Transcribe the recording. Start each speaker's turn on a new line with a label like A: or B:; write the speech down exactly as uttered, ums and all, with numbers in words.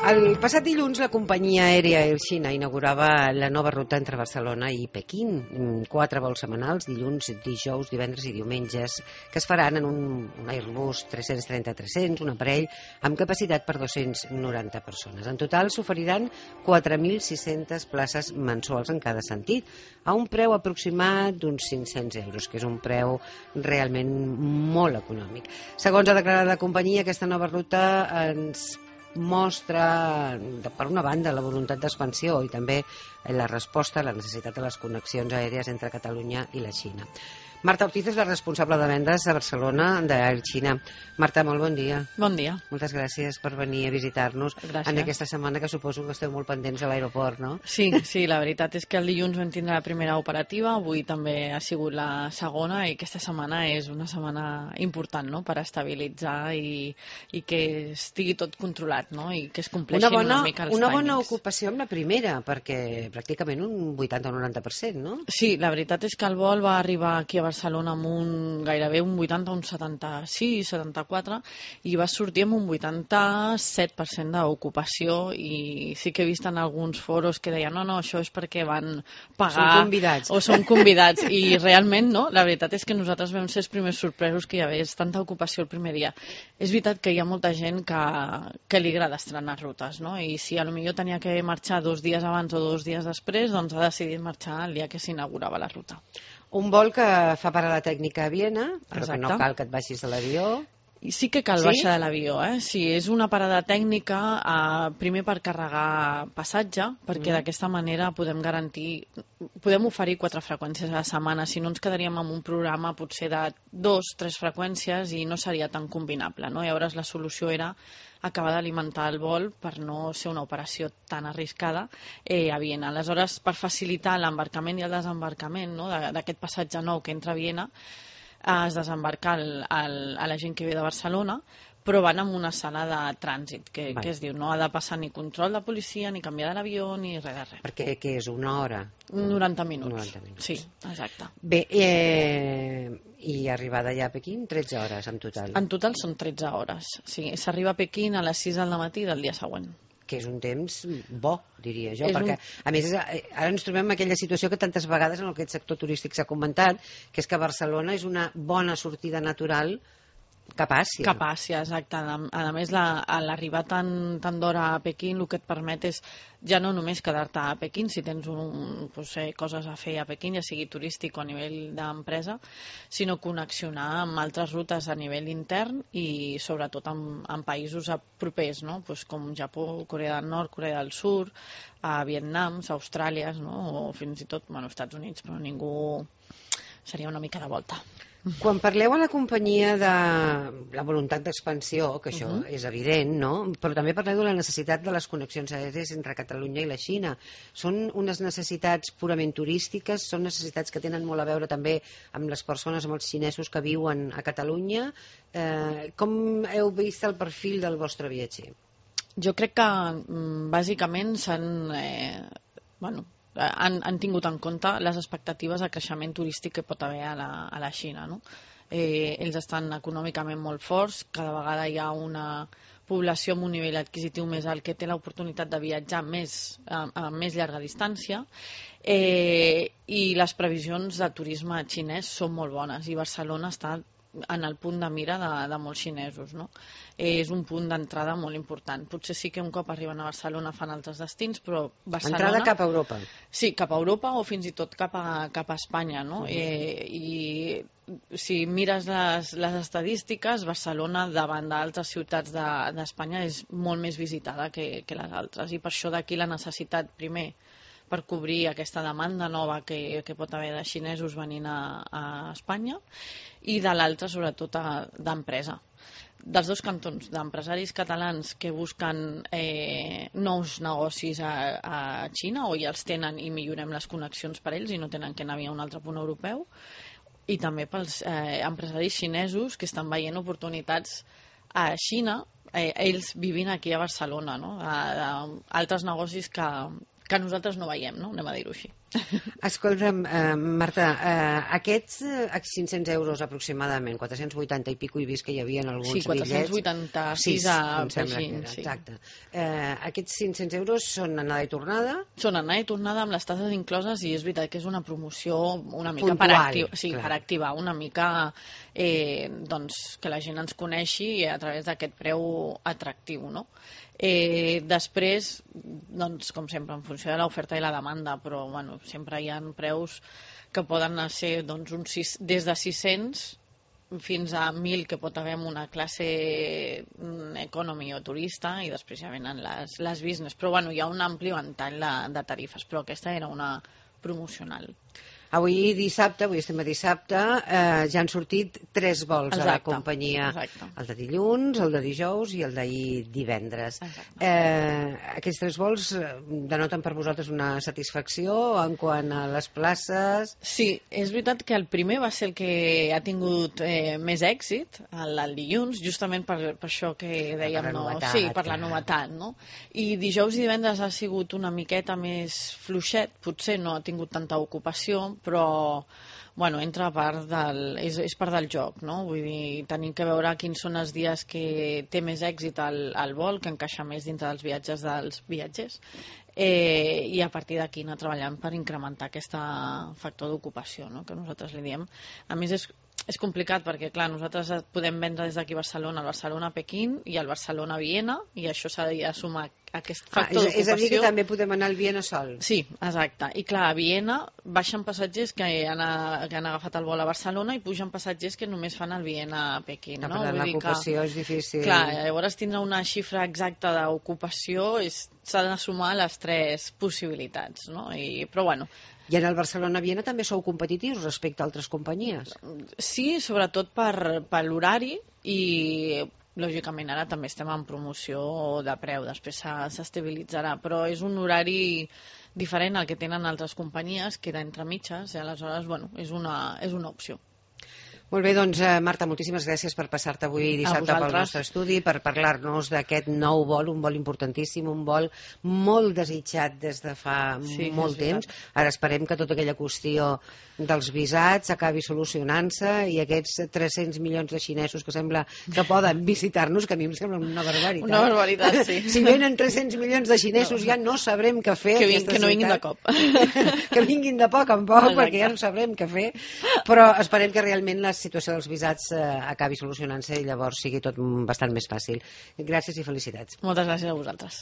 A: El passat dilluns la companyia aèria Air China inaugurava la nova ruta entre Barcelona i Pequín. Quatre vols setmanals, dilluns, dijous, divendres i diumenges, que es faran en un, un Airbus tres-cents trenta tres-cents, un aparell amb capacitat per dues-centes noranta persones. En total s'oferiran quatre mil sis-centes places mensuals en cada sentit, a un preu aproximat d'uns cinc-cents euros, que és un preu realment molt econòmic. Segons ha declarat la companyia, aquesta nova ruta ens mostra, per una banda, la voluntat d'expansió i també la resposta a la necessitat de les connexions aèries entre Catalunya i la Xina. Marta Ortiz és la responsable de vendes a Barcelona d'Air China. Marta, molt bon dia.
B: Bon dia.
A: Moltes gràcies per venir a visitar-nos en aquesta setmana, que suposo que esteu molt pendents a l'aeroport, no?
B: Sí, sí, la veritat és que el dilluns vam tindre la primera operativa, avui també ha sigut la segona, i aquesta setmana és una setmana important, no?, per estabilitzar i, i que estigui tot controlat, no?, i que es compleixin una, bona, una mica els
A: una
B: timings.
A: Una bona ocupació amb la primera, perquè pràcticament un vuitanta o noranta per cent, no?
B: Sí, la veritat és que el vol va arribar aquí a Barcelona amb un gairebé un vuitanta, un setanta-sis, setanta-quatre, i va sortir amb un vuitanta-set per cent d'ocupació, i sí que he vist en alguns foros que deien no, no, això és perquè van pagar...
A: Són convidats.
B: O són convidats, i realment no, la veritat és que nosaltres vam ser els primers sorpresos que hi hagués tanta ocupació el primer dia. És veritat que hi ha molta gent que, que li agrada estrenar rutes, no?, i si potser tenia que marxar dos dies abans o dos dies després, doncs ha decidit marxar el dia que s'inaugurava la ruta.
A: Un vol que fa parada tècnica a Viena, però
B: Exacte.
A: que no cal que et baixis de l'avió.
B: I sí que cal
A: sí?
B: baixar de l'avió, eh? Sí, és una parada tècnica, eh, primer per carregar passatge, perquè mm. d'aquesta manera podem garantir, podem oferir quatre freqüències a la setmana, si no ens quedaríem amb un programa potser de dos, tres freqüències i no seria tan combinable, no? Llavors la solució era acabar d'alimentar el vol per no ser una operació tan arriscada eh, a Viena. Aleshores, per facilitar l'embarcament i el desembarcament, no?, d'aquest passatge nou que entra a Viena, es desembarca el, el, a la gent que ve de Barcelona, però van amb una sala de trànsit, que, que es diu, no ha de passar ni control de policia, ni canviar de l'avió, ni res de res.
A: Perquè què és, una hora?
B: noranta minuts.
A: noranta minuts.
B: Sí, exacte.
A: Bé, eh, i arribada ja a Pequín, tretze hores en total.
B: En total són tretze hores, sí. S'arriba a Pequín a les sis del matí del dia següent.
A: Que és un temps bo, diria jo,
B: és
A: perquè
B: un...
A: a més ara ens trobem en aquella situació que tantes vegades en aquest sector turístic s'ha comentat, que és que Barcelona és una bona sortida natural cap a Àsia.
B: Cap a Àsia, exacte. A més, l'arribar tan, tan d'hora a Pequín el que et permet és ja no només quedar-te a Pequín, si tens un, pues, eh, coses a fer a Pequín, ja sigui turístic o a nivell d'empresa, sinó connexionar amb altres rutes a nivell intern i sobretot amb, amb països propers, no? Pues, com Japó, Corea del Nord, Corea del Sud, a Vietnam, Austràlia, no? O fins i tot, bueno, Estats Units, però ningú seria una mica de volta.
A: Quan parleu a la companyia de la voluntat d'expansió, que això uh -huh. és evident, no? Però també parleu de la necessitat de les connexions aèries entre Catalunya i la Xina. Són unes necessitats purament turístiques, són necessitats que tenen molt a veure també amb les persones, amb els xinesos que viuen a Catalunya. Eh, com heu vist el perfil del vostre viatger?
B: Jo crec que bàsicament s'han... Eh, bueno, Han, han tingut en compte les expectatives de creixement turístic que pot haver a la, a la Xina, no? Eh, ells estan econòmicament molt forts, cada vegada hi ha una població amb un nivell adquisitiu més alt que té l'oportunitat de viatjar més, a, a més llarga distància, eh, i les previsions de turisme xinès són molt bones, i Barcelona està en el punt de mira de, de molts xinesos, no? Eh, és un punt d'entrada molt important. Potser sí que un cop arriben a Barcelona fan altres destins, però Barcelona...
A: Entrada cap a Europa.
B: Sí, cap a Europa o fins i tot cap a, cap a Espanya, no? Uh -huh. eh, I si mires les, les estadístiques, Barcelona davant d'altres ciutats d'Espanya de, és molt més visitada que, que les altres, i per això d'aquí la necessitat, primer, per cobrir aquesta demanda nova que, que pot haver de xinesos venint a, a Espanya, i de l'altra, sobretot, d'empresa. Dels dos cantons, d'empresaris catalans que busquen eh, nous negocis a, a Xina, o ja els tenen i millorem les connexions per ells i no tenen que anar a un altre punt europeu, i també pels eh, empresaris xinesos que estan veient oportunitats a Xina, eh, ells vivint aquí a Barcelona, no? A, a altres negocis que, que nosaltres no veiem, no? Anem a dir-ho així.
A: Escolta'm, eh, Marta, eh, aquests eh, cinc-cents euros aproximadament, quatre-cents vuitanta i pico, he vist que hi havia en alguns
B: Sí, quatre-cents
A: bitllets.
B: vuitanta-sis a
A: em sembla que
B: Beijing,
A: era,
B: sí.
A: exacte. Eh, aquests cinc-cents euros són anada i tornada?
B: Són anada i tornada amb les tasses incloses i és veritat que és una promoció una mica
A: Puntual,
B: per, acti sí,
A: clar.
B: per activar una mica eh, doncs, que la gent ens coneixi a través d'aquest preu atractiu, no? Eh, després, doncs, com sempre, en funció de l'oferta i la demanda, però bueno, sempre hi ha preus que poden ser doncs, un sis, des de sis-cents fins a mil que pot haver en una classe economy o turista i després ja venen les, les business, però bueno, hi ha un ampli ventall de, de tarifes, però aquesta era una promocional.
A: Avui dissabte, avui estem a dissabte, eh, ja han sortit tres vols
B: Exacte,
A: a la companyia.
B: exacte.
A: El de dilluns, el de dijous i el d'ahir divendres. Eh, aquests tres vols denoten per vosaltres una satisfacció en quant a les places?
B: Sí, és veritat que el primer va ser el que ha tingut eh, més èxit, el, el dilluns, justament per, per això que dèiem,
A: Per la
B: no?
A: novetat,
B: Sí, per la
A: clar.
B: novetat, no? I dijous i divendres ha sigut una miqueta més fluixet, potser no ha tingut tanta ocupació, però bueno, entra a part del, és, és part del joc, no? Vull dir, tenim que veure quins són els dies que té més èxit el, el vol, que encaixa més dintre dels viatges dels viatgers, eh, i a partir d'aquí anar treballant per incrementar aquest factor d'ocupació, no? Que nosaltres li diem. A més, és, és complicat perquè, clar, nosaltres podem vendre des d'aquí a Barcelona, al Barcelona a Pequín i al Barcelona a Viena, i això s'ha de sumar aquest factor
A: ah, és, és a dir, que
B: d'ocupació.
A: també podem anar al Viena sol.
B: Sí, exacte. I clar, a Viena baixen passatgers que han, que han agafat el vol a Barcelona i pugen passatgers que només fan el Viena a Pequín.
A: No,
B: No?
A: per l'ocupació és difícil.
B: Clar, llavors tindre una xifra exacta d'ocupació s'ha de sumar les tres possibilitats, no? I, però bueno,
A: I en el Barcelona-Viena també sou competitius respecte a altres companyies?
B: sí, sobretot per, per l'horari i lògicament ara també estem en promoció de preu, després s'estabilitzarà, però és un horari diferent al que tenen altres companyies, queda entre mitges i aleshores bueno, és, una, és una opció.
A: Molt bé, doncs, eh, Marta, moltíssimes gràcies per passar-te avui dissabte pel nostre estudi, per parlar-nos d'aquest nou vol, un vol importantíssim, un vol molt desitjat des de fa
B: Sí,
A: molt
B: és
A: temps.
B: veritat.
A: Ara esperem que tota aquella qüestió dels visats acabi solucionant-se i aquests tres-cents milions de xinesos que sembla que poden visitar-nos, que a mi em sembla una barbaritat.
B: Una barbaritat, sí.
A: Si venen tres-cents milions de xinesos no. ja no sabrem què fer.
B: Que, vin, que no vinguin de cop.
A: Que vinguin de poc en poc,
B: Exacte.
A: perquè ja no sabrem què fer. Però esperem que realment la situació dels visats eh, acabi solucionant-se i llavors sigui tot bastant més fàcil. Gràcies i felicitats.
B: Moltes gràcies a vosaltres.